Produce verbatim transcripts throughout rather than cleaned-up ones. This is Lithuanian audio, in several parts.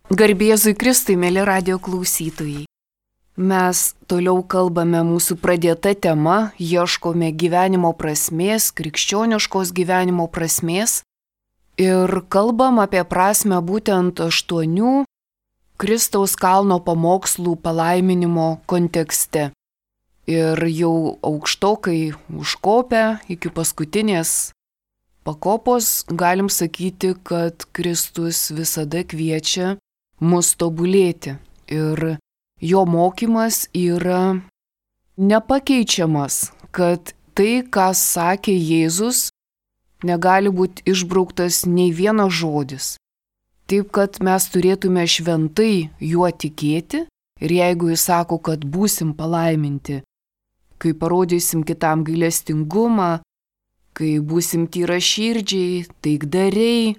Garbė Jėzui Kristui, mėly radijo klausytojai. Mes toliau kalbame mūsų pradėta tema, ieškome gyvenimo prasmės, krikščioniškos gyvenimo prasmės ir kalbam apie prasmę būtent aštuonių Kristaus kalno pamokslų palaiminimo kontekste. Ir jau aukštokai užkopę iki paskutinės pakopos galim sakyti, kad Kristus visada kviečia mus tobulėti ir jo mokymas yra nepakeičiamas, kad tai, ką sakė Jėzus, negali būti išbrauktas nei vienas žodis. Taip, kad mes turėtume šventai juo tikėti ir jeigu jis sako, kad būsim palaiminti, kai parodysim kitam gailestingumą, kai būsim tyraširdžiai, taikdariai,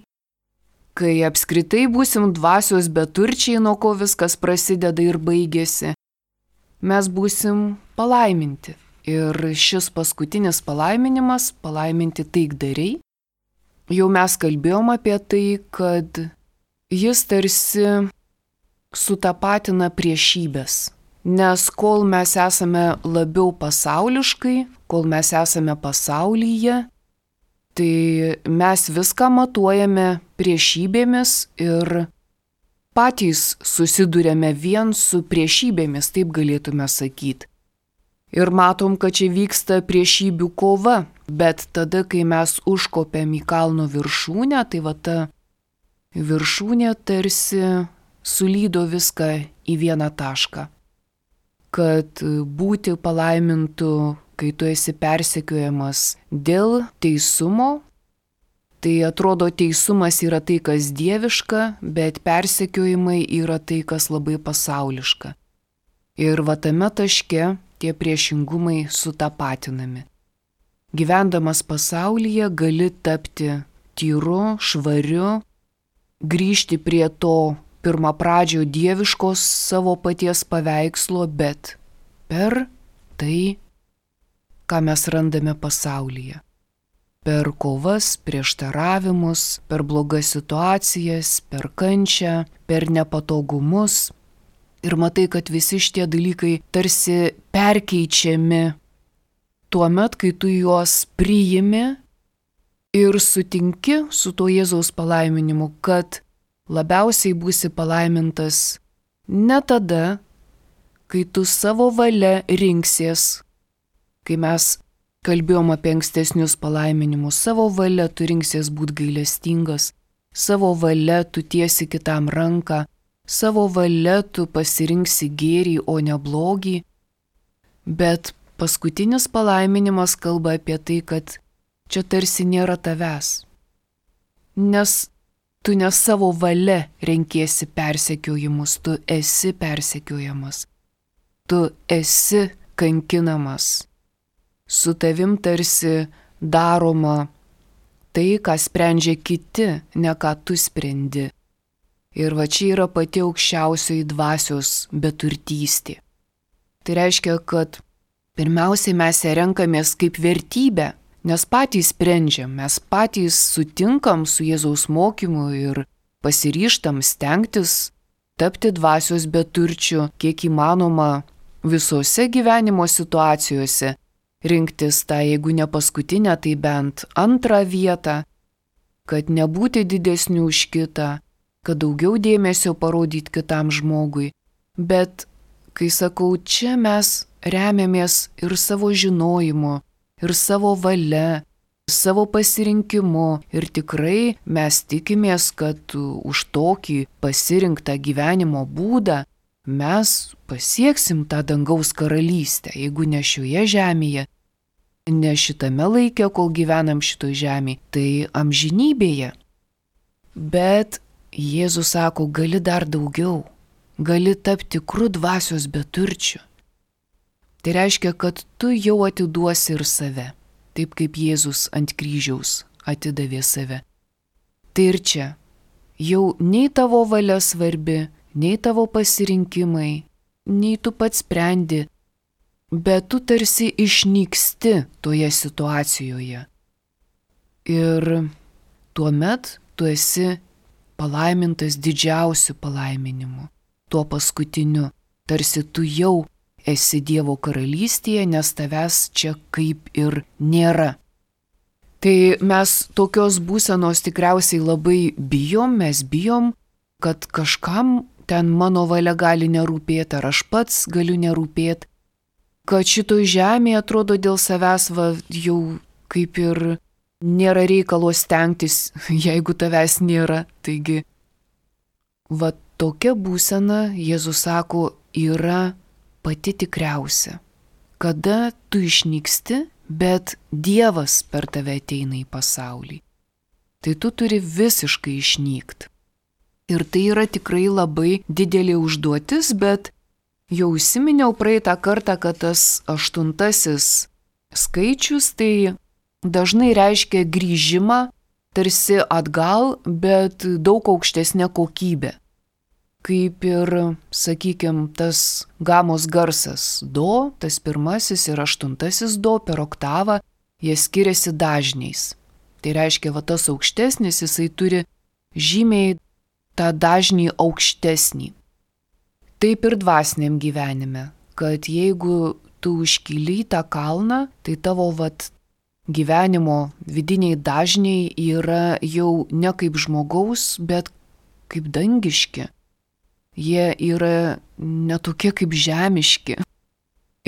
kai apskritai būsim dvasios beturčiai, nuo ko viskas prasideda ir baigėsi, mes būsim palaiminti. Ir šis paskutinis palaiminimas, palaiminti taikdariai, jau mes kalbėjom apie tai, kad jis tarsi sutapatina priešybės. Nes kol mes esame labiau pasauliškai, kol mes esame pasaulyje, tai mes viską matuojame priešybėmis ir patys susidurėme vien su priešybėmis, taip galėtume sakyti. Ir matom, kad čia vyksta priešybių kova, bet tada, kai mes užkopėm į kalno viršūnę, tai va ta viršūnė tarsi sulydo viską į vieną tašką. Kad būti palaimintu, kai tu esi persekiojamas dėl teisumo, tai atrodo teisumas yra tai, kas dieviška, bet persekiojimai yra tai, kas labai pasauliška. Ir va tame taške tie priešingumai sutapatinami. Gyvendamas pasaulyje gali tapti tyru, švariu, grįžti prie to pirmapradžio dieviškos savo paties paveikslo, bet per tai, ką mes randame pasaulyje. Per kovas, prieštaravimus, per blogas situacijas, per kančią, per nepatogumus. Ir matai, kad visi šitie dalykai tarsi perkeičiami tuomet, kai tu juos priimi ir sutinki su to Jėzaus palaiminimu, kad labiausiai būsi palaimintas ne tada, kai tu savo valia rinksies, kai mes kalbėjom apie ankstesnius palaiminimus, savo valia tu rinksies būti gailestingas, savo valia tu tiesi kitam ranką, savo valia tu pasirinksi gėrį, o ne blogį, bet paskutinis palaiminimas kalba apie tai, kad čia tarsi nėra tavęs, nes tu ne savo valia renkiesi persekiojimus, tu esi persekiojamas, tu esi kankinamas. Su tavim tarsi daroma tai, ką sprendžia kiti, ne ką tu sprendi. Ir va čia yra pati aukščiausioji dvasios beturtystė. Tai reiškia, kad pirmiausiai mes ją renkamės kaip vertybę, nes patys sprendžiam, mes patys sutinkam su Jėzaus mokymu ir pasiryžtam stengtis tapti dvasios beturčiu, kiek įmanoma visose gyvenimo situacijose, rinktis tą, jeigu ne paskutinę, tai bent antrą vietą, kad nebūti didesnių už kitą, kad daugiau dėmesio parodyti kitam žmogui. Bet, kai sakau, čia mes remiamės ir savo žinojimu, ir savo valia, savo pasirinkimu ir tikrai mes tikimės, kad už tokį pasirinktą gyvenimo būdą mes pasieksim tą dangaus karalystę, jeigu ne šioje žemėje, ne šitame laike, kol gyvenam šitoj žemėje, tai amžinybėje. Bet Jėzus sako, gali dar daugiau, gali tapti tikrų dvasios beturčių. Tai reiškia, kad tu jau atiduosi ir save, taip kaip Jėzus ant kryžiaus atidavė save. Tai ir čia jau nei tavo valia svarbi, nei tavo pasirinkimai, nei tu pats sprendi, bet tu tarsi išnyksti toje situacijoje. Ir tuomet tu esi palaimintas didžiausiu palaiminimu, tuo paskutiniu, tarsi tu jau esi Dievo karalystėje, nes tavęs čia kaip ir nėra. Tai mes tokios būsenos tikriausiai labai bijom, mes bijom, kad kažkam ten mano valia gali nerūpėti, ar aš pats galiu nerūpėti, kad šitoj žemėje atrodo dėl savęs va, jau kaip ir nėra reikalo stengtis, jeigu tavęs nėra. Taigi, va tokia būsena, Jėzus sako, yra pati tikriausia. Kada tu išnyksti, bet Dievas per tave ateina į pasaulį. Tai tu turi visiškai išnykti. Ir tai yra tikrai labai didelė užduotis, bet jau užsiminiau praeitą kartą, kad tas aštuntasis skaičius tai dažnai reiškia grįžimą tarsi atgal, bet daug aukštesnė kokybė. Kaip ir, sakykime, tas gamos garsas do, tas pirmasis ir aštuntasis do per oktavą, jie skiriasi dažniais. Tai reiškia, va tas aukštesnis, jisai turi žymiai tą dažnį aukštesnį. Taip ir dvasiniam gyvenime, kad jeigu tu užkyli į tą kalną, tai tavo vat gyvenimo vidiniai dažniai yra jau ne kaip žmogaus, bet kaip dangiški. Jie yra netokie kaip žemiški.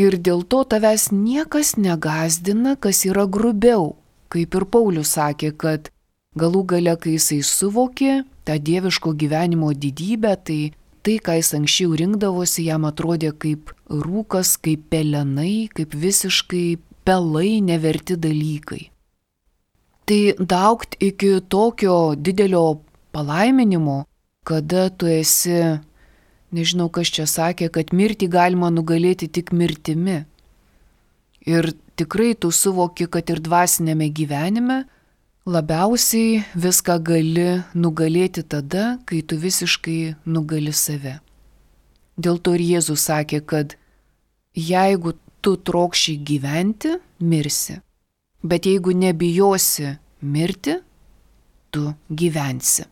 Ir dėl to tavęs niekas negazdina, kas yra grubiau. Kaip ir Paulius sakė, kad galų gale, kai jisai suvokė tą dieviško gyvenimo didybę, tai tai, ką jis anksčiau rinkdavosi, jam atrodė kaip rūkas, kaip pelenai, kaip visiškai pelai neverti dalykai. Tai daugt iki tokio didelio palaiminimo, kada tu esi, nežinau, kas čia sakė, kad mirtį galima nugalėti tik mirtimi. Ir tikrai tu suvoki, kad ir dvasinėme gyvenime labiausiai viską gali nugalėti tada, kai tu visiškai nugali save. Dėl to ir Jėzus sakė, kad jeigu tu trokši gyventi, mirsi. Bet jeigu nebijosi mirti, tu gyvensi.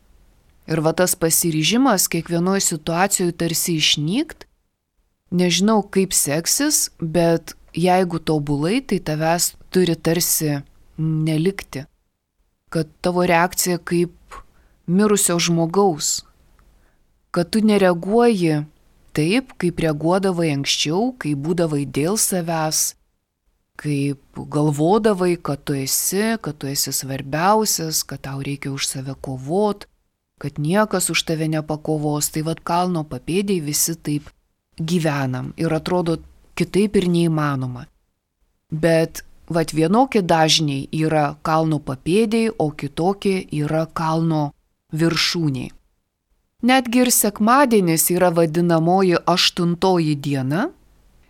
Ir va tas pasiryžimas kiekvienoje situacijoje tarsi išnykt, nežinau kaip seksis, bet jeigu tobulai, tai tavęs turi tarsi nelikti. Kad tavo reakcija kaip mirusio žmogaus. Kad tu nereaguoji taip, kaip reaguodavai anksčiau, kai būdavai dėl savęs, kaip galvodavai, kad tu esi, kad tu esi svarbiausias, kad tau reikia už save kovot, kad niekas už tave nepakovos. Tai vad kalno papėdėj visi taip gyvenam ir atrodo kitaip ir neįmanoma. Bet vat vienokie dažniai yra kalno papėdėj, o kitokie yra kalno viršūniai. Netgi ir sekmadienis yra vadinamoji aštuntoji diena,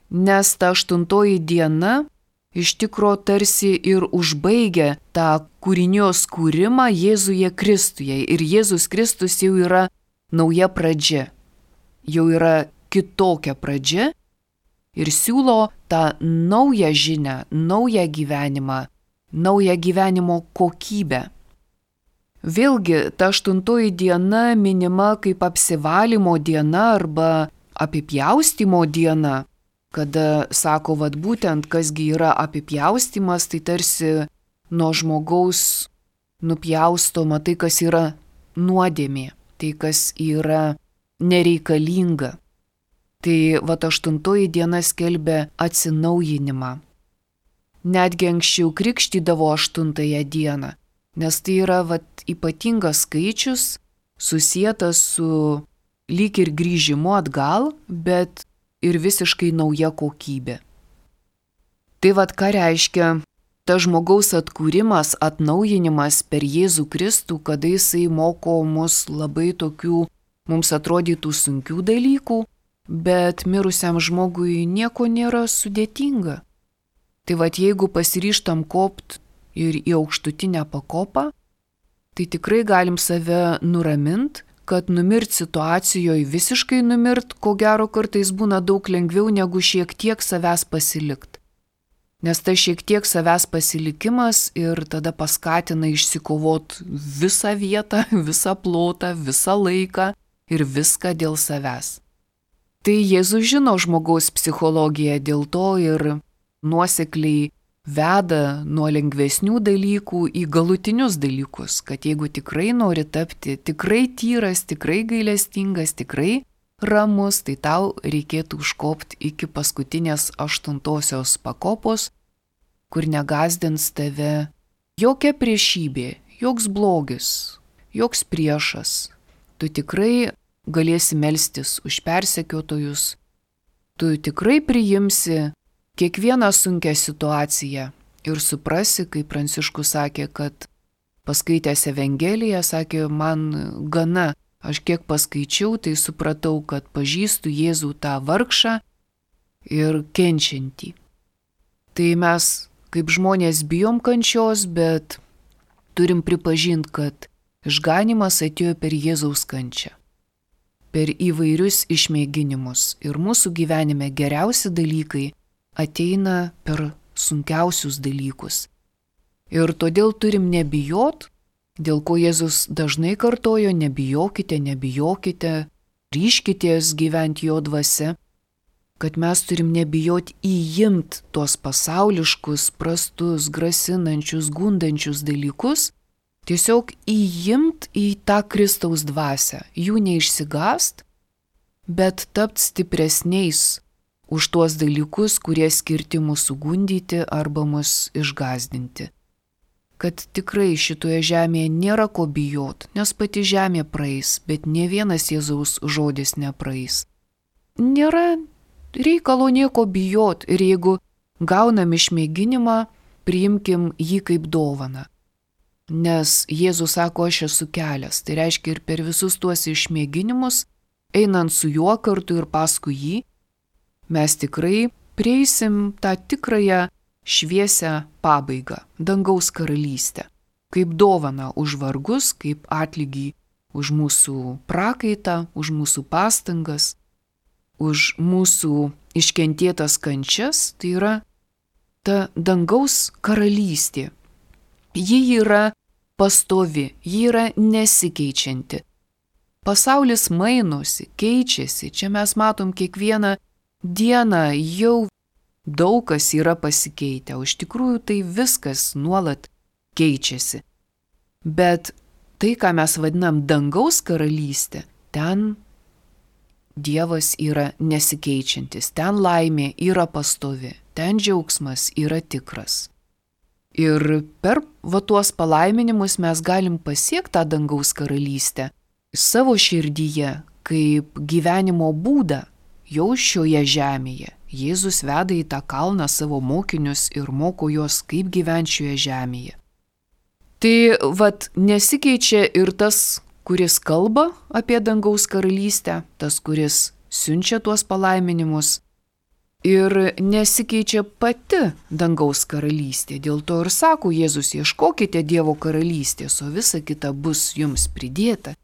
nes ta aštuntoji diena iš tikro tarsi ir užbaigia tą kūrinijos kūrimą Jėzuje Kristuje. Ir Jėzus Kristus jau yra nauja pradžia, jau yra kitokia pradžia ir siūlo tą naują žinią, naują gyvenimą, naują gyvenimo kokybę. Vėlgi, ta aštuntoji diena minima kaip apsivalymo diena arba apipjaustymo diena, kada sako, vad būtent, kasgi yra apipjaustymas, tai tarsi nuo žmogaus nupjaustoma tai, kas yra nuodėmė, tai, kas yra nereikalinga. Tai vat aštuntoji diena skelbia atsinaujinimą. Netgi anksčiau krikštydavo aštuntąją dieną, nes tai yra vat ypatingas skaičius, susietas su lyg ir grįžimu atgal, bet ir visiškai nauja kokybė. Tai vad ką reiškia ta žmogaus atkūrimas, atnaujinimas per Jėzų Kristų, kada jisai moko mus labai tokių, mums atrodytų sunkių dalykų, bet mirusiam žmogui nieko nėra sudėtinga. Tai vad jeigu pasiryžtam kopt ir į aukštutinę pakopą, tai tikrai galim save nuramint, kad numirt situacijoje visiškai numirt, ko gero kartais būna daug lengviau negu šiek tiek savęs pasilikt. Nes ta šiek tiek savęs pasilikimas ir tada paskatina išsikovot visą vietą, visą plotą, visą laiką ir viską dėl savęs. Tai Jėzus žino žmogaus psichologiją, dėl to ir nuosekliai veda nuo lengvesnių dalykų į galutinius dalykus, kad jeigu tikrai nori tapti tikrai tyras, tikrai gailestingas, tikrai ramus, tai tau reikėtų užkopti iki paskutinės aštuntosios pakopos, kur negazdins tave jokia priešybė, joks blogis, joks priešas. Tu tikrai galėsi melstis už persekiotojus, tu tikrai priimsi kiekvieną sunkią situaciją ir suprasi, kaip Pranciškus sakė, kad paskaitęs Evangeliją, sakė, man gana. Aš kiek paskaičiau, tai supratau, kad pažįstu Jėzų tą vargšą ir kenčiantį. Tai mes kaip žmonės bijom kančios, bet turim pripažinti, kad išganymas atėjo per Jėzaus kančią, per įvairius išmėginimus. Ir mūsų gyvenime geriausi dalykai ateina per sunkiausius dalykus. Ir todėl turim nebijot, dėl ko Jėzus dažnai kartojo, nebijokite, nebijokite, ryškitės gyventi jo dvasia, kad mes turim nebijot įimt tuos pasauliškus, prastus, grasinančius, gundančius dalykus, tiesiog įimt į tą Kristaus dvasią, jų neišsigast, bet tapt stipresniais už tuos dalykus, kurie skirti mūsų gundyti arba mus išgazdinti. Kad tikrai šitoje žemėje nėra ko bijot, nes pati žemė praeis, bet ne vienas Jėzaus žodis nepraeis. Nėra reikalo nieko bijot ir jeigu gaunam išmėginimą, priimkim jį kaip dovaną. Nes Jėzus sako, aš esu kelias, tai reiškia ir per visus tuos išmėginimus, einant su juo kartu ir paskui jį, mes tikrai prieisim tą tikrąją šviesią pabaigą, dangaus karalystę, kaip dovana už vargus, kaip atlygį už mūsų prakaitą, už mūsų pastangas, už mūsų iškentėtas kančias, tai yra ta dangaus karalystė. Ji yra pastovi, ji yra nesikeičianti. Pasaulis mainosi, keičiasi, čia mes matom kiekvieną dieną jau daug kas yra pasikeitę, o iš tikrųjų tai viskas nuolat keičiasi. Bet tai, ką mes vadinam dangaus karalystė, ten Dievas yra nesikeičiantis, ten laimė yra pastovi, ten džiaugsmas yra tikras. Ir per va tuos palaiminimus mes galim pasiekti tą dangaus karalystę savo širdyje kaip gyvenimo būdą jau šioje žemėje. Jėzus veda į tą kalną savo mokinius ir moko juos, kaip gyventi šioje žemėje. Tai vat nesikeičia ir tas, kuris kalba apie dangaus karalystę, tas, kuris siunčia tuos palaiminimus, ir nesikeičia pati dangaus karalystė. Dėl to ir sako Jėzus, ieškokite Dievo karalystės, o visa kita bus jums pridėta.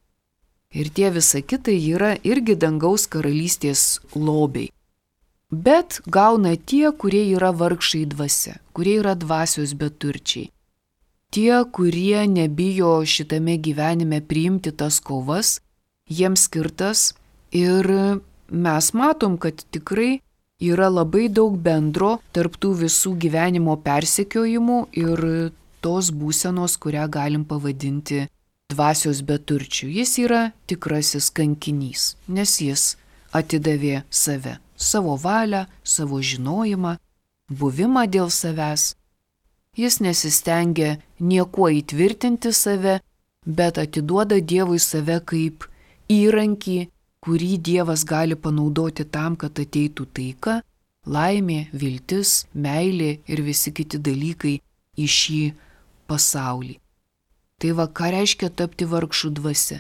Ir tie visa kita yra irgi dangaus karalystės lobiai. Bet gauna tie, kurie yra vargšai dvasia, kurie yra dvasios beturčiai. Tie, kurie nebijo šitame gyvenime priimti tas kovas, jiems skirtas, ir mes matom, kad tikrai yra labai daug bendro tarp tų visų gyvenimo persekiojimų ir tos būsenos, kurią galim pavadinti dvasios beturčių. Jis yra tikrasis kankinys, nes jis atidavė save. Savo valią, savo žinojimą, buvimą dėl savęs. Jis nesistengia niekuo įtvirtinti save, bet atiduoda Dievui save kaip įrankį, kurį Dievas gali panaudoti tam, kad ateitų taika, laimė, viltis, meilė ir visi kiti dalykai į šį pasaulį. Tai va, ką reiškia tapti vargšų dvasia.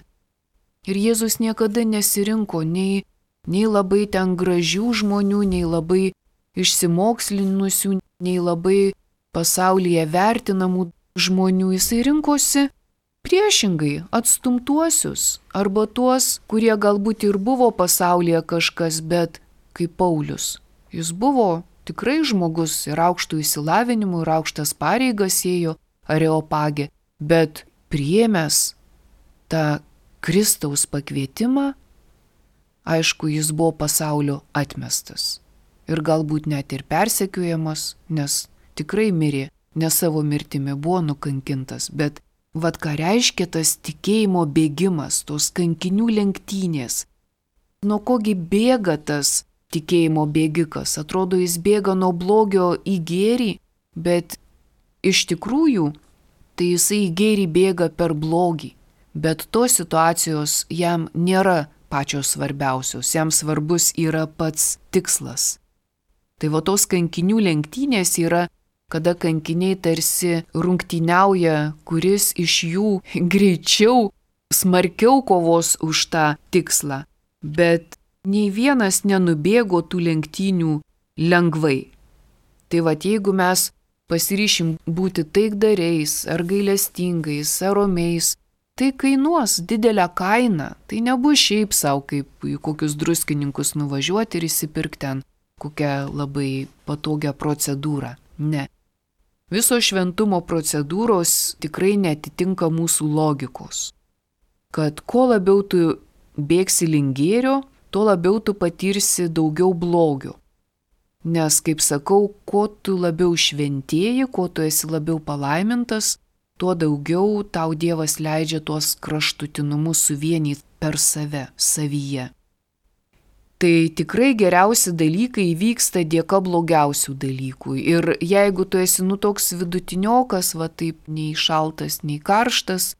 Ir Jėzus niekada nesirinko nei nei labai ten gražių žmonių, nei labai išsimokslinusių, nei labai pasaulyje vertinamų žmonių. Jisai rinkosi priešingai atstumtuosius arba tuos, kurie galbūt ir buvo pasaulyje kažkas, bet kaip Paulius. Jis buvo tikrai žmogus ir aukštų įsilavinimų, ir aukštas pareigas ėjo Areopagė, bet priėmęs tą Kristaus pakvietimą, aišku, jis buvo pasaulio atmestas. Ir galbūt net ir persekiojamas, nes tikrai mirė, ne savo mirtimi buvo nukankintas, bet vad ką reiškia tas tikėjimo bėgimas, tos kankinių lenktynės. Nuo kogi bėga tas tikėjimo bėgikas? Atrodo, jis bėga nuo blogio į gėrį, bet iš tikrųjų tai jisai į gėrį bėga per blogį. Bet tos situacijos jam nėra pačios svarbiausios, jam svarbus yra pats tikslas. Tai va tos kankinių lenktynės yra, kada kankiniai tarsi rungtyniauja, kuris iš jų greičiau, smarkiau kovos už tą tikslą. Bet nei vienas nenubėgo tų lenktynių lengvai. Tai va jeigu mes pasiryšim būti taikdariais, ar gailestingais, ar romiais, tai kainuos didelę kainą. Tai nebus šiaip savo kaip į kokius druskininkus nuvažiuoti ir įsipirkti ten kokią labai patogią procedūrą. Ne. Visos šventumo procedūros tikrai netitinka mūsų logikos. Kad kuo labiau tu bėgsi link gėrio, tuo labiau tu patirsi daugiau blogio. Nes, kaip sakau, kuo tu labiau šventėji, kuo tu esi labiau palaimintas, tuo daugiau tau Dievas leidžia tuos kraštutinumus suvienyti per save, savyje. Tai tikrai geriausi dalykai vyksta dėka blogiausių dalykų. Ir jeigu tu esi nu toks vidutiniokas, va taip nei šaltas, nei karštas,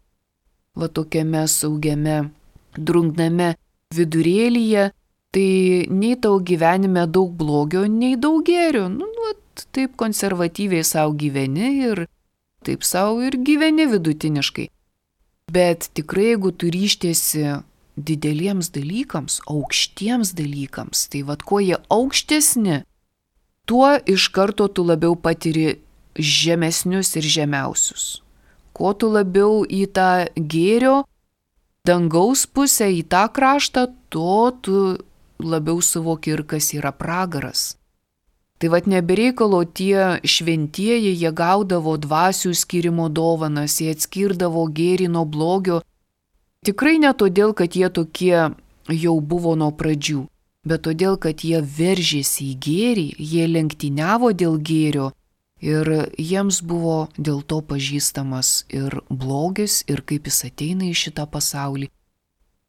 va tokiame saugiame, drungname vidurėlyje, tai nei tau gyvenime daug blogio, nei daug gėrio. Nu, nu, taip konservatyviai savo gyveni ir taip savo ir gyveni vidutiniškai. Bet tikrai, jeigu tu ryštiesi dideliems dalykams, aukštiems dalykams, tai vad kuo jie aukštesni, tuo iš karto tu labiau patiri žemesnius ir žemiausius. Kuo tu labiau į tą gėrio, dangaus pusę, į tą kraštą, tuo tu labiau suvoki ir kas yra pragaras. Tai vad nebereikalo tie šventieji, jie gaudavo dvasių skyrimo dovanas, jie atskirdavo gėrį nuo blogio. Tikrai ne todėl, kad jie tokie jau buvo nuo pradžių, bet todėl, kad jie veržėsi į gėrį, jie lenktyniavo dėl gėrio ir jiems buvo dėl to pažįstamas ir blogis, ir kaip jis ateina į šitą pasaulį.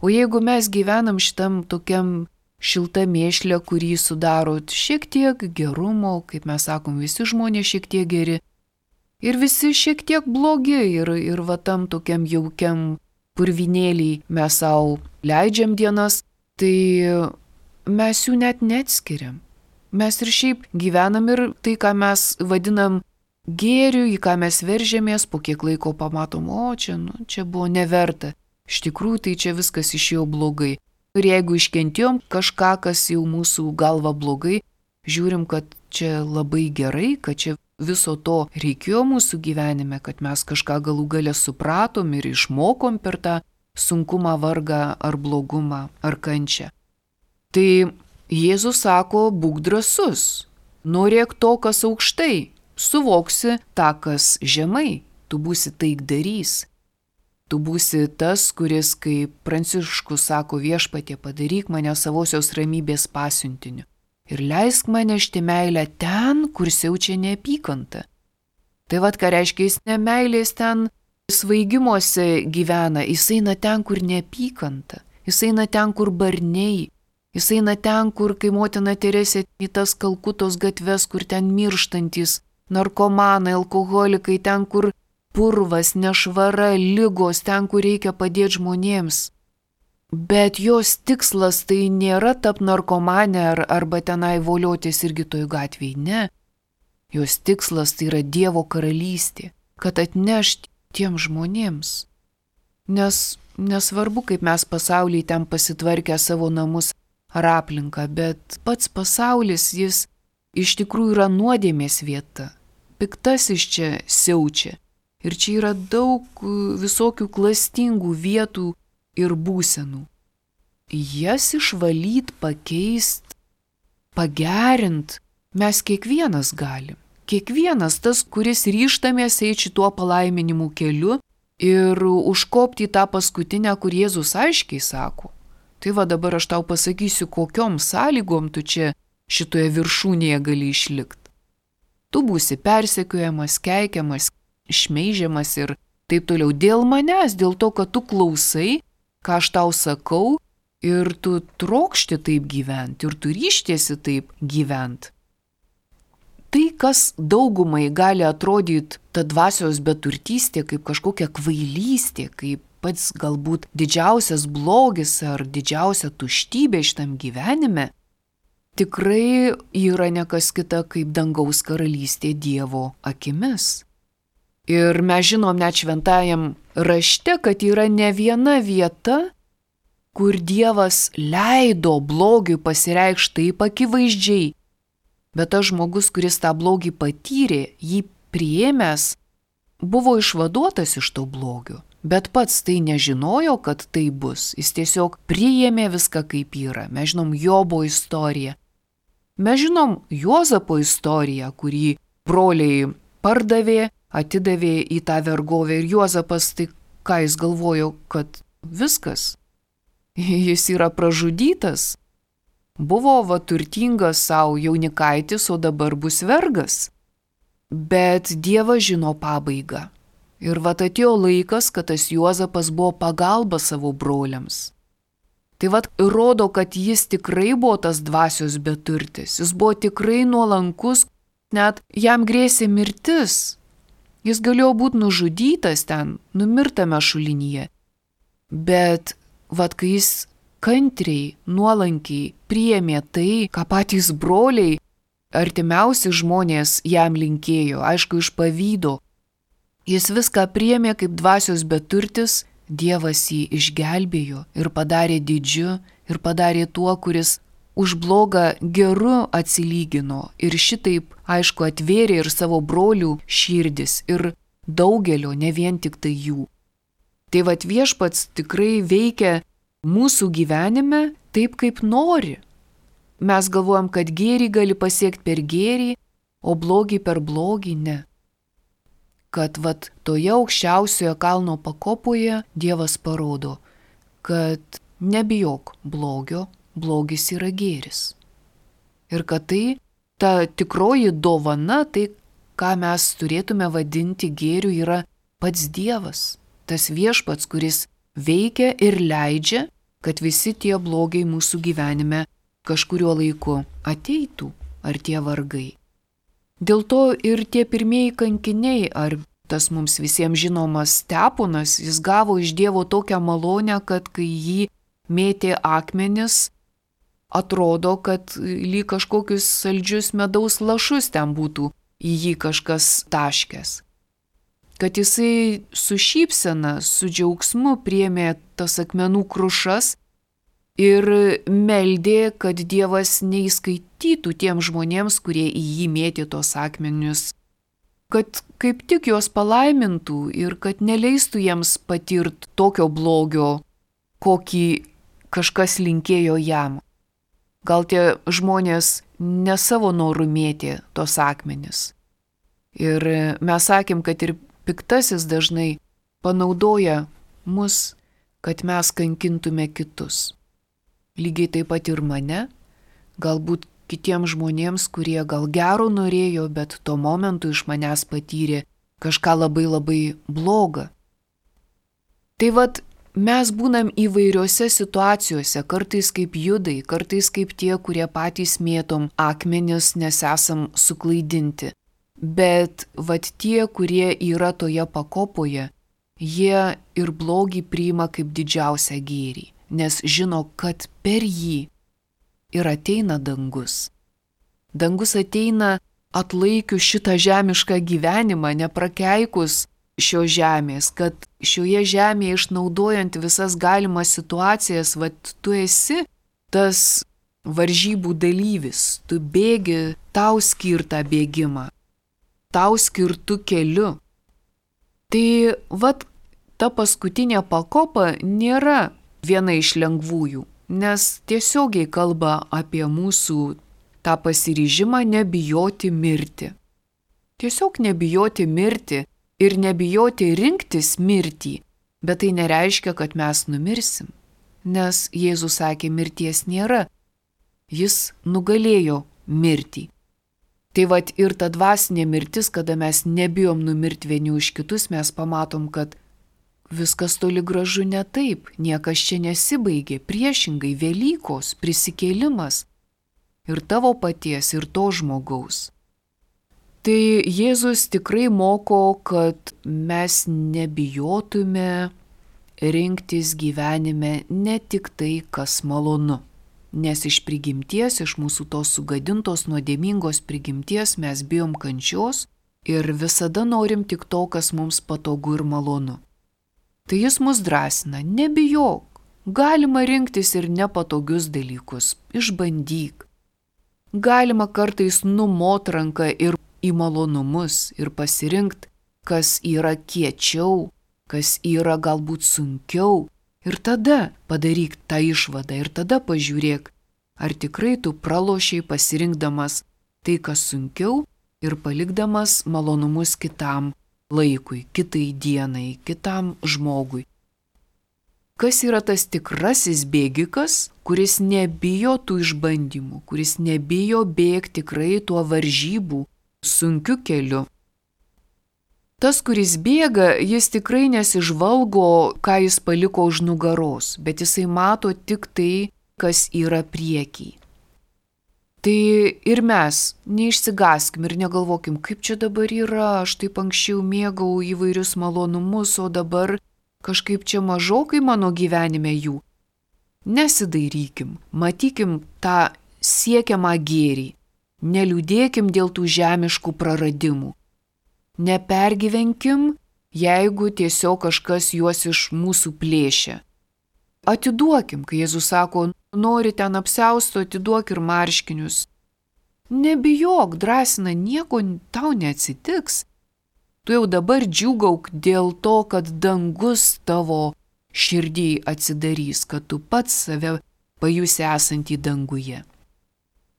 O jeigu mes gyvenam šitam tokiam šilta mėšlė, kurį sudaro šiek tiek gerumo, kaip mes sakom, visi žmonės šiek tiek geri, ir visi šiek tiek blogi, ir, ir va tam tokiam jaukiam purvinėlį mes savo leidžiam dienas, tai mes jų net neatskiriam. Mes ir šiaip gyvenam ir tai, ką mes vadinam gėriu, į ką mes veržėmės, po kiek laiko pamatom, o čia, nu, čia buvo neverta. Iš tikrųjų, tai čia viskas išėjo blogai. Ir jeigu iškentėjom kažką, kas jau mūsų galva blogai, žiūrim, kad čia labai gerai, kad čia viso to reikėjo mūsų gyvenime, kad mes kažką galų gale supratom ir išmokom per tą sunkumą, vargą ar blogumą ar kančią. Tai Jėzus sako, būk drąsus, norėk to, kas aukštai, suvoksi tą, kas žemai, tu būsi taikdarys. Tu būsi tas, kuris, kaip Pranciškus sako, viešpatie, padaryk mane savosios ramybės pasiuntiniu. Ir leisk man nešti meilę ten, kur siaučia neapykanta. Tai vad, ką reiškia, jis ne meilės ten svaigimuose gyvena, jis eina ten, kur neapykanta, jis eina ten, kur barniai, jis eina ten, kur, kai motina Teresė į tas Kalkutos gatves, kur ten mirštantis narkomanai, alkoholikai, ten, kur purvas, nešvara, ligos, ten, kur reikia padėti žmonėms. Bet jos tikslas tai nėra tap narkomanė ar, arba tenai voliotis irgi toj gatvėj, ne. Jos tikslas tai yra Dievo karalystė, kad atnešti tiem žmonėms. Nes nesvarbu, kaip mes pasaulyje ten pasitvarkę savo namus ar aplinką, bet pats pasaulis jis iš tikrųjų yra nuodėmės vieta. Piktasis čia siaučia. Ir čia yra daug visokių klastingų vietų ir būsenų. Jas išvalyt, pakeist, pagerint mes kiekvienas galim. Kiekvienas tas, kuris ryžtamės eiti šituo palaiminimų keliu ir užkopti į tą paskutinę, kur Jėzus aiškiai sako. Tai va dabar aš tau pasakysiu, kokiom sąlygom tu čia šitoje viršūnėje gali išlikti. Tu būsi persekiojamas, keikiamas, šmeižiamas ir taip toliau dėl manęs, dėl to, kad tu klausai, ką aš tau sakau ir tu trokšti taip gyventi ir tu ryštiesi taip gyventi. Tai, kas daugumai gali atrodyti ta dvasios beturtystė kaip kažkokia kvailystė, kaip pats galbūt didžiausias blogis ar didžiausia tuštybė šitam gyvenime, tikrai yra nekas kita kaip dangaus karalystė Dievo akimis. Ir mes žinom net šventajam rašte, kad yra ne viena vieta, kur Dievas leido blogiui pasireikšti taip akivaizdžiai, bet tas žmogus, kuris tą blogį patyrė, jį priėmęs, buvo išvaduotas iš to blogio, bet pats tai nežinojo, kad tai bus. Jis tiesiog priėmė viską kaip yra. Mes žinom Jobo istoriją. Mes žinom Juozapo istoriją, kurį broliai pardavė, atidavė į tą vergovę ir Juozapas, tai ką jis galvojo, kad viskas, jis yra pražudytas. Buvo va turtingas savo jaunikaitis, o dabar bus vergas. Bet Dievas žino pabaigą. Ir va atėjo laikas, kad tas Juozapas buvo pagalba savo broliams. Tai va rodo, kad jis tikrai buvo tas dvasios beturtis. Jis buvo tikrai nuolankus, net jam grėsė mirtis. Jis galėjo būti nužudytas ten, numirtame šulinyje. Bet va kai jis kantriai, nuolankiai priėmė tai, ką patys broliai, artimiausi žmonės jam linkėjo, aišku, iš pavydo. Jis viską priėmė kaip dvasios beturtis, Dievas jį išgelbėjo ir padarė didžiu ir padarė tuo, kuris už blogą geru atsilygino ir šitaip, aišku, atvėrė ir savo brolių širdis ir daugelio, ne vien tik tai jų. Tai vat Viešpats tikrai veikia mūsų gyvenime taip, kaip nori. Mes galvojam, kad gėrį gali pasiekti per gėrį, o blogį per blogį ne. Kad vat toje aukščiausioje kalno pakopoje Dievas parodo, kad nebijok blogio, blogis yra gėris. Ir kad tai, ta tikroji dovana, tai, ką mes turėtume vadinti gėriu, yra pats Dievas. Tas Viešpats, kuris veikia ir leidžia, kad visi tie blogiai mūsų gyvenime kažkuriuo laiku ateitų, ar tie vargai. Dėl to ir tie pirmieji kankiniai, ar tas mums visiems žinomas Steponas, jis gavo iš Dievo tokią malonę, kad kai jį mėtė akmenis, atrodo, kad lyg kažkokius saldžius medaus lašus ten būtų į jį kažkas taškęs. Kad jisai su šypsena, su džiaugsmu priėmė tas akmenų krušas ir meldė, kad Dievas neįskaitytų tiem žmonėms, kurie į jį mėtė tos akmenius, kad kaip tik juos palaimintų ir kad neleistų jiems patirti tokio blogio, kokį kažkas linkėjo jam. Gal tie žmonės ne savo norų mėtė tos akmenis. Ir mes sakėm, kad ir piktasis dažnai panaudoja mus, kad mes kankintume kitus. Lygiai taip pat ir mane, galbūt kitiems žmonėms, kurie gal gero norėjo, bet tuo momentu iš manęs patyrė kažką labai labai blogą. Tai vat mes būnam įvairiose situacijose, kartais kaip judai, kartais kaip tie, kurie patys mėtom akmenis, nes esam suklaidinti. Bet vat tie, kurie yra toje pakopoje, jie ir blogį priima kaip didžiausią gėrį, nes žino, kad per jį ir ateina dangus. Dangus ateina atlaikius šitą žemišką gyvenimą, neprakeikus šios žemės, kad šioje žemėje išnaudojant visas galimas situacijas, vat tu esi tas varžybų dalyvis, tu bėgi tau skirtą bėgimą, tau skirtų keliu. Tai vat ta paskutinė pakopa nėra viena iš lengvųjų, nes tiesiogiai kalba apie mūsų tą pasiryžimą nebijoti mirti. Tiesiog nebijoti mirti ir nebijoti rinktis mirtį, bet tai nereiškia, kad mes numirsim, nes Jėzus sakė, mirties nėra. Jis nugalėjo mirtį. Tai vat ir ta dvasinė mirtis, kada mes nebijom numirti vieni už kitus, mes pamatom, kad viskas toli gražu ne taip, niekas čia nesibaigė, priešingai Velykos, prisikėlimas ir tavo paties, ir to žmogaus. Tai Jėzus tikrai moko, kad mes nebijotume rinktis gyvenime ne tik tai, kas malonu. Nes iš prigimties, iš mūsų tos sugadintos, nuodėmingos prigimties mes bijom kančios ir visada norim tik to, kas mums patogu ir malonu. Tai jis mus drąsina, nebijok, galima rinktis ir nepatogius dalykus, išbandyk. Galima kartais numot ranką ir į malonumus ir pasirinkti, kas yra kiečiau, kas yra galbūt sunkiau. Ir tada padaryk tą išvadą ir tada pažiūrėk, ar tikrai tu pralošiai pasirinkdamas tai, kas sunkiau ir palikdamas malonumus kitam laikui, kitai dienai, kitam žmogui. Kas yra tas tikrasis bėgikas, kuris nebijo tų išbandymų, kuris nebijo bėgti tikrai tuo varžybų sunkiu keliu? Tas, kuris bėga, jis tikrai nesižvalgo, ką jis paliko už nugaros, bet jisai mato tik tai, kas yra prieky. Tai ir mes neišsigaskim ir negalvokim, kaip čia dabar yra, aš taip anksčiau mėgau įvairius malonumus, o dabar kažkaip čia mažokai mano gyvenime jų. Nesidairykim, matykim tą siekiamą gėrį, neliūdėkim dėl tų žemiškų praradimų. Nepergyvenkim, jeigu tiesiog kažkas juos iš mūsų plėšia. Atiduokim, kai Jėzus sako, nori ten apsiausto, atiduok ir marškinius. Nebijok, drąsina, nieko tau neatsitiks. Tu jau dabar džiūgauk dėl to, kad dangus tavo širdį atsidarys, kad tu pats save pajusi esantį danguje.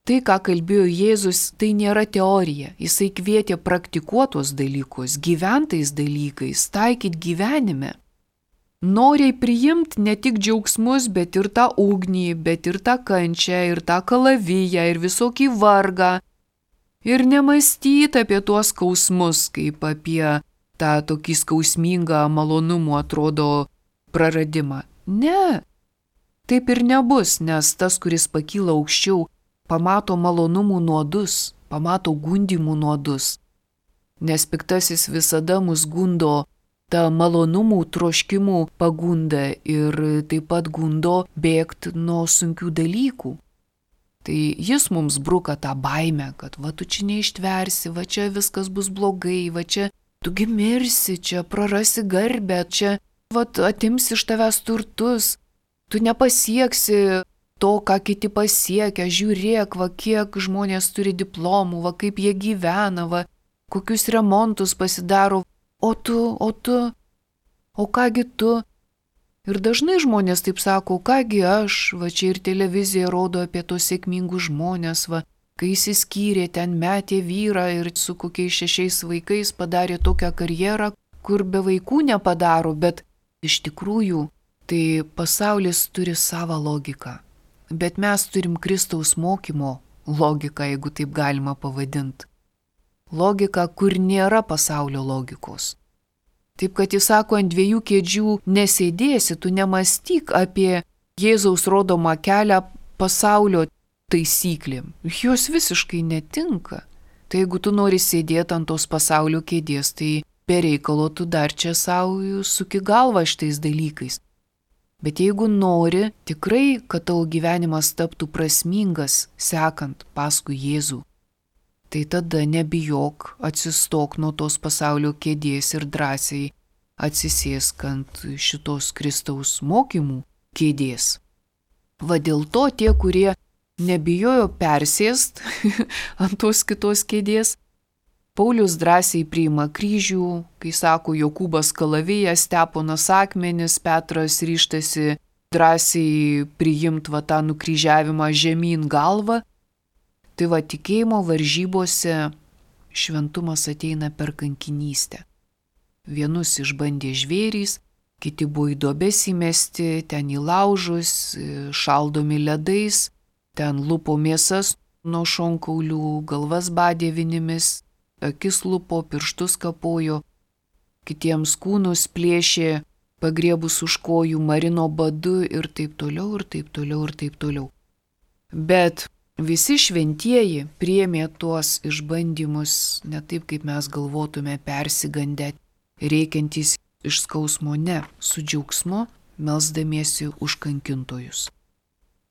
Tai, ką kalbėjo Jėzus, tai nėra teorija. Jisai kvietė praktikuotos dalykus, gyventais dalykais, taikyti gyvenime. Noriai priimti ne tik džiaugsmus, bet ir tą ugnį, bet ir tą kančią, ir tą kalaviją, ir visokį vargą. Ir nemąstyti apie tuos skausmus, kaip apie tą tokį skausmingą malonumų atrodo praradimą. Ne, taip ir nebus, nes tas, kuris pakyla aukščiau, pamato malonumų nuodus, pamato gundimų nuodus. Nes piktasis visada mus gundo tą malonumų troškimų pagundą ir taip pat gundo bėgti nuo sunkių dalykų. Tai jis mums bruka tą baimę, kad va tu čia neištversi, va čia viskas bus blogai, va čia tu gimirsi, čia prarasi garbę, čia va atims iš tavęs turtus, tu nepasieksi to, ką kiti pasiekia, žiūrėk, va kiek žmonės turi diplomų, va kaip jie gyvena, va kokius remontus pasidaro, o tu, o tu, o kągi tu. Ir dažnai žmonės taip sako, kągi aš, va čia ir televizija rodo apie tos sėkmingus žmonės, va, kai įsiskyrė, ten metė vyrą ir su kokiais šešiais vaikais padarė tokią karjerą, kur be vaikų nepadaro, bet iš tikrųjų tai pasaulis turi savo logiką. Bet mes turim Kristaus mokymo logiką, jeigu taip galima pavadinti. Logika, kur nėra pasaulio logikos. Taip, kad jis sako, ant dviejų kėdžių nesėdėsi, tu nemąstyk apie Jėzaus rodomą kelią pasaulio taisyklėm. Jos visiškai netinka. Tai jeigu tu nori sėdėti ant tos pasaulio kėdės, tai be reikalo tu dar čia savo suki galvą šitais dalykais. Bet jeigu nori tikrai, kad tavo gyvenimas taptų prasmingas, sekant paskui Jėzų, tai tada nebijok, atsistok nuo tos pasaulio kėdės ir drąsiai atsisėsk ant šitos Kristaus mokymų kėdės. Va dėl to tie, kurie nebijojo persėst ant tos kitos kėdės, Paulius drąsiai priima kryžių, kai sako Jokūbas kalavijas, Steponas akmenis, Petras ryžtasi drąsiai priimti va tą nukryžiavimą žemyn galvą. Tai va, tikėjimo varžybose šventumas ateina per kankinystę. Vienus išbandė žvėrys, kiti buvo į duobes įmesti, ten į laužus, šaldomi ledais, ten lupo mėsas nuo šonkaulių, galvas badė vinimis, akis lupo, pirštus kapojo, kitiems kūnus plėšė, pagriebus už kojų, marino badu ir taip toliau, ir taip toliau, ir taip toliau. Bet visi šventieji priėmė tuos išbandymus ne taip, kaip mes galvotume, persigandę, reikiantys iš skausmo, ne, su džiaugsmu, melsdamiesi už kankintojus.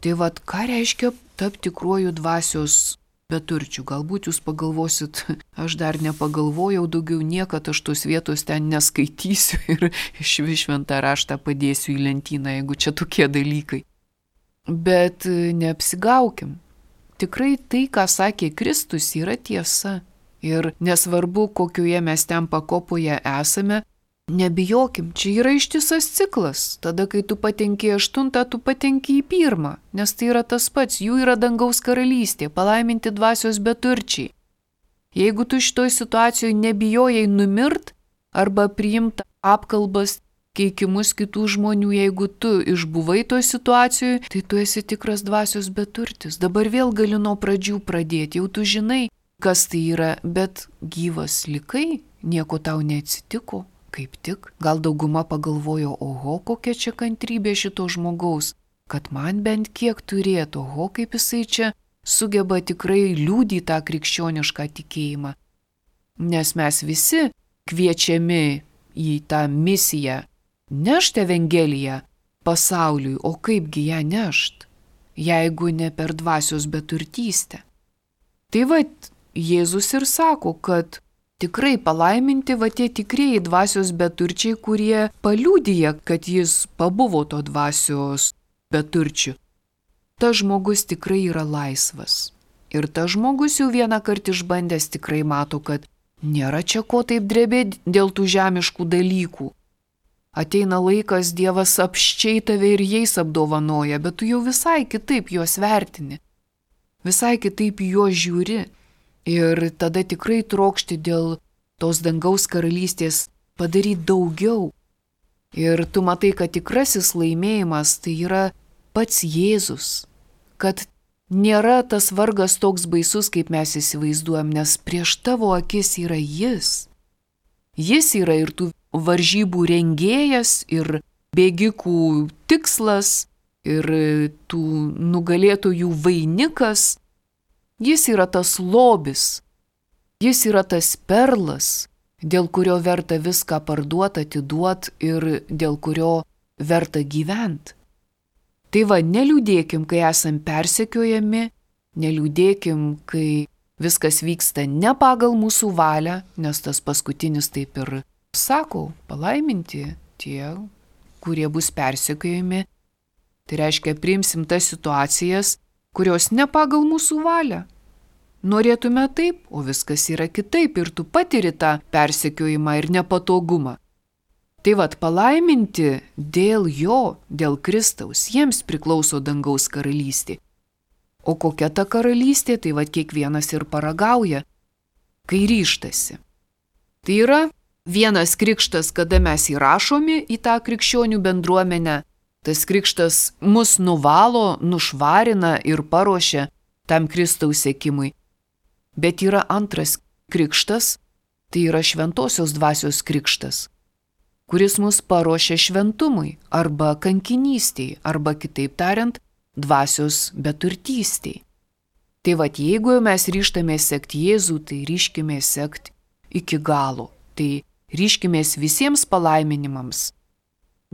Tai vad, ką reiškia tapti tikruoju dvasios beturčių? Galbūt jūs pagalvosit, aš dar nepagalvojau, daugiau niekad aš tos vietos ten neskaitysiu ir iš šventą raštą padėsiu į lentyną, jeigu čia tokie dalykai. Bet neapsigaukim. Tikrai tai, ką sakė Kristus, yra tiesa. Ir nesvarbu, kokioje mes ten pakopoje esame, nebijokim, čia yra ištisas ciklas. Tada, kai tu patenki į aštuntą, tu patenki į pirmą, nes tai yra tas pats, jų yra dangaus karalystė, palaiminti dvasios beturčiai. Jeigu tu šitoj situacijoje nebijojai numirt arba priimti apkalbas, keikimus kitų žmonių, jeigu tu išbuvai toj situacijoje, tai tu esi tikras dvasios beturtis. Dabar vėl gali nuo pradžių pradėti, jau tu žinai, kas tai yra, bet gyvas likai, nieko tau neatsitiko. Kaip tik, gal dauguma pagalvojo, oho, kokia čia kantrybė šito žmogaus, kad man bent kiek turėtų, oho, kaip jisai čia sugeba tikrai liūdį tą krikščionišką tikėjimą. Nes mes visi kviečiami į tą misiją nešti Evangeliją pasauliui, o kaipgi ją nešt, jeigu ne per dvasios beturtystę. Tai va, Jėzus ir sako, kad tikrai palaiminti va tie tikrieji dvasios beturčiai, kurie paliudija, kad jis pabuvo to dvasios beturčių. Tas žmogus tikrai yra laisvas. Ir tas žmogus jau vieną kartą išbandęs tikrai mato, kad nėra čia ko taip drebėti dėl tų žemiškų dalykų. Ateina laikas, Dievas apščiai tave ir jais apdovanoja, bet tu jau visai kitaip juos vertini. Visai kitaip juos žiūri. Ir tada tikrai trokšti dėl tos dangaus karalystės padaryti daugiau. Ir tu matai, kad tikrasis laimėjimas tai yra pats Jėzus. Kad nėra tas vargas toks baisus, kaip mes įsivaizduojam, nes prieš tavo akis yra Jis. Jis yra ir tų varžybų rengėjas, ir bėgikų tikslas, ir tų nugalėtojų vainikas. Jis yra tas lobis, jis yra tas perlas, dėl kurio verta viską parduoti, atiduoti ir dėl kurio verta gyventi. Tai va, neliūdėkim, kai esam persekiojami, neliūdėkim, kai viskas vyksta ne pagal mūsų valią, nes tas paskutinis taip ir sako, palaiminti tie, kurie bus persekiojami. Tai reiškia, priimsim tas situacijas, kurios ne pagal mūsų valią. Norėtume taip, o viskas yra kitaip ir tu patiri tą persekiojimą ir nepatogumą. Tai vat, palaiminti dėl jo, dėl Kristaus, jiems priklauso dangaus karalystė. O kokia ta karalystė, tai vat kiekvienas ir paragauja, kai ryštasi. Tai yra vienas krikštas, kada mes įrašomi į tą krikščionių bendruomenę. Tas krikštas mus nuvalo, nušvarina ir paruošia tam Kristaus sekimui. Bet yra antras krikštas, tai yra šventosios dvasios krikštas, kuris mus paruošia šventumui arba kankinystei, arba kitaip tariant, dvasios beturtystei. Tai vat, jeigu mes ryžtamės sekti Jėzų, tai ryškimės sekti iki galo, tai ryškimės visiems palaiminimams.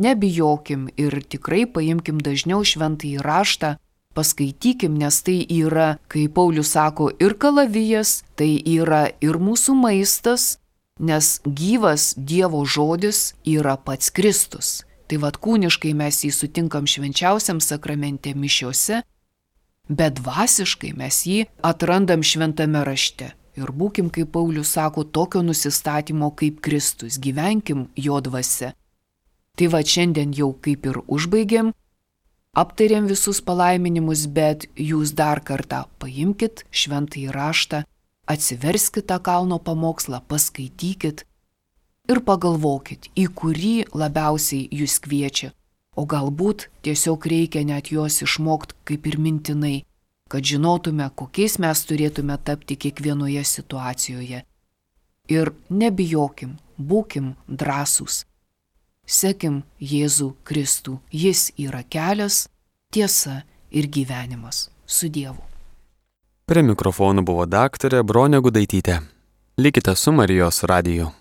Nebijokim ir tikrai paimkim dažniau šventąjį raštą, paskaitykim, nes tai yra, kaip Paulius sako, ir kalavijas, tai yra ir mūsų maistas, nes gyvas Dievo žodis yra pats Kristus. Tai vad kūniškai mes jį sutinkam švenčiausiam sakramente mišiose, bet dvasiškai mes jį atrandam šventame rašte. Ir būkim, kaip Paulius sako, tokio nusistatymo kaip Kristus, gyvenkim jo dvasia. Tai va šiandien jau kaip ir užbaigėm aptarėm visus palaiminimus, bet jūs dar kartą paimkit šventąjį raštą, atsiverskit tą kalno pamokslą, paskaitykit ir pagalvokit, į kurį labiausiai jūs kviečia. O galbūt tiesiog reikia net juos išmokti kaip ir mintinai, kad žinotume, kokiais mes turėtume tapti kiekvienoje situacijoje. Ir nebijokim, būkim drąsūs. Sekim Jėzų Kristų, jis yra kelias, tiesa ir gyvenimas. Su Dievu. Prie mikrofonų buvo daktarė Bronė Gudaitytė. Likite su Marijos radiju.